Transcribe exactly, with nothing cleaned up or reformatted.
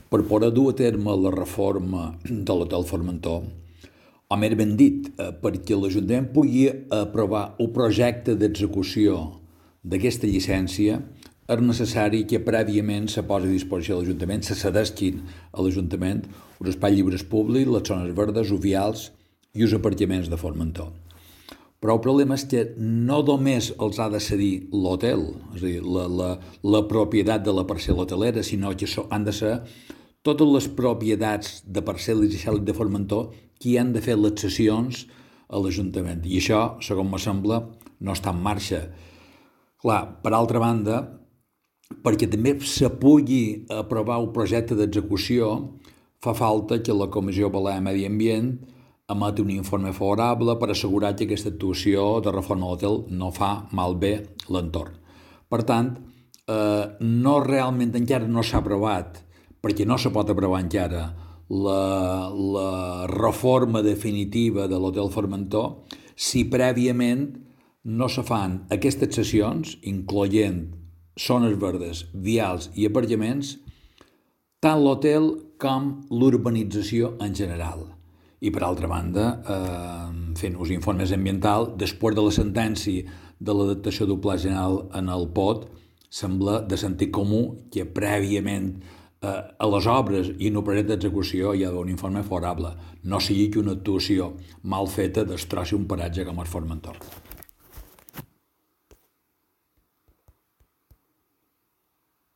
per poder dur a terme la reforma de l'Hotel Formentor, o més ben dit, eh, perquè l'Ajuntament pugui aprovar el projecte d'execució d'aquesta llicència, és necessari que prèviament se posi a disposició de l'Ajuntament, se cedesquin a l'Ajuntament els espais lliures públics, les zones verdes, ovials i els aparcaments de Formentor. Però el problema és que no només els ha de cedir l'hotel, és a dir, la, la, la propietat de la parcel·la hotelera, sinó que han de ser totes les propietats de parcel·les i cèl·lics de Formentor qui han de fer les cessions a l'Ajuntament. I això, segons me sembla, no està en marxa. Clar, per altra banda, perquè també se pugui aprovar el projecte d'execució, fa falta que la Comissió Balear de Medi Ambient emeti un informe favorable per assegurar que aquesta actuació de reforma de l'hotel no fa malbé l'entorn. Per tant, eh, no realment encara no s'ha aprovat, perquè no se pot aprovar encara la, la reforma definitiva de l'Hotel Formentor si prèviament no se fan aquestes sessions, incloent zones verdes, vials i aparcaments, tant l'hotel com l'urbanització en general. I per altra banda, eh, fent uns informes ambientals, després de la sentència de l'adaptació del Pla General en el P O D, sembla de sentit comú que prèviament eh, a les obres i en el projecte d'execució hi ha d'haver un informe favorable. No sigui que una actuació mal feta destrossi un paratge com el Formentor.